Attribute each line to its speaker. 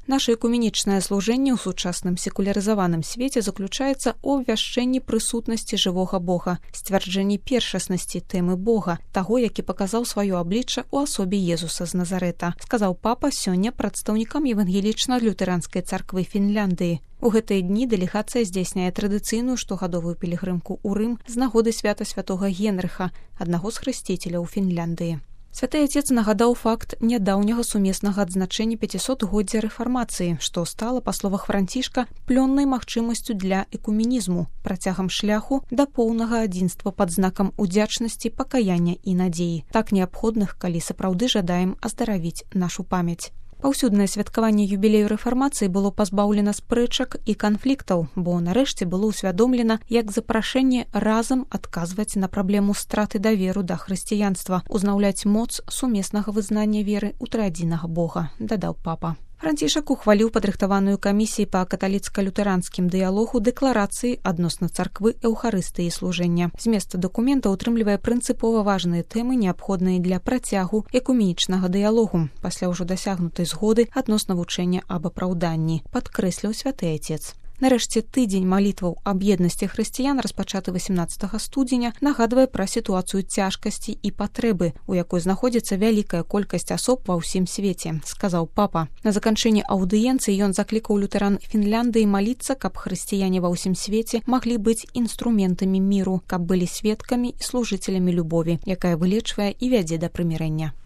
Speaker 1: Наша экуменічнае служэнне ў сучасным секулярызаваным свеце заключаецца ў абвяшчэнні прысутнасці жывога Бога, сцвярджэнні першаснасці тэмы Бога, таго, які паказаў сваё аблічча ў асобе Езуса з Назарэта, сказаў папа сёння прадстаўнікам евангелічна-лютэранскай царквы Фінляндыі. У гэтыя дні дэлегацыя здзяйсняе традыцыйную штогадовую пілігрымку ў Рым з нагоды свята святога Генрыха, аднаго з хрысціцеляў Фінляндыі. Святы Отец нагадаў факт нядаўняга сумеснага адзначэння 500-годдзя рэфармацыі, што стала, па словах Францішка, плённай магчымасцю для экуменізму, працягам шляху да поўнага адзінства пад знакам удзячнасці, пакаяння і надзеі, так неабходных, калі сапраўды жадаем аздаравіць нашу памяць. Паўсюднае святкаванне юбілею рэфармацыі было пазбаўлена спрэчак і канфліктаў, бо нарэшце было ўсвядомлена як запрашэнне разам адказваць на праблему страты даверу да хрысціянства, узнаўляць моц сумеснага вызнання веры ў трыадзінага Бога, дадаў папа. Францішак ухваліў падрыхтаваную камісіяй па каталіцка-лютэранскім дыялогу дэкларацыі адносна царквы эўхарыстыі служэння. Змест дакумента ўтрымлівае прынцыпова важныя тэмы, неабходныя для працягу экуменічнага дыялогу, пасля ўжо дасягнутай згоды адносна вучэння аб апраўданні, падкрэсліў святы Отец. Нарэшце, тыдзень малітваў аб еднасці хрысціян, распачаты 18 студзеня, нагадвае пра сітуацыю цяжкасці і патрэбы, у якой знаходзіцца вялікая колькасць асоб ва ўсім свеце, сказаў папа. На заканчэнні аўдыенцыі ён заклікаў лютэран Фінляндыі маліцца, каб хрысціяне ва ўсім свеце маглі быць інструментамі міру, каб былі сведкамі і служыцелямі любові, якая вылечвае і вядзе да прымірэння.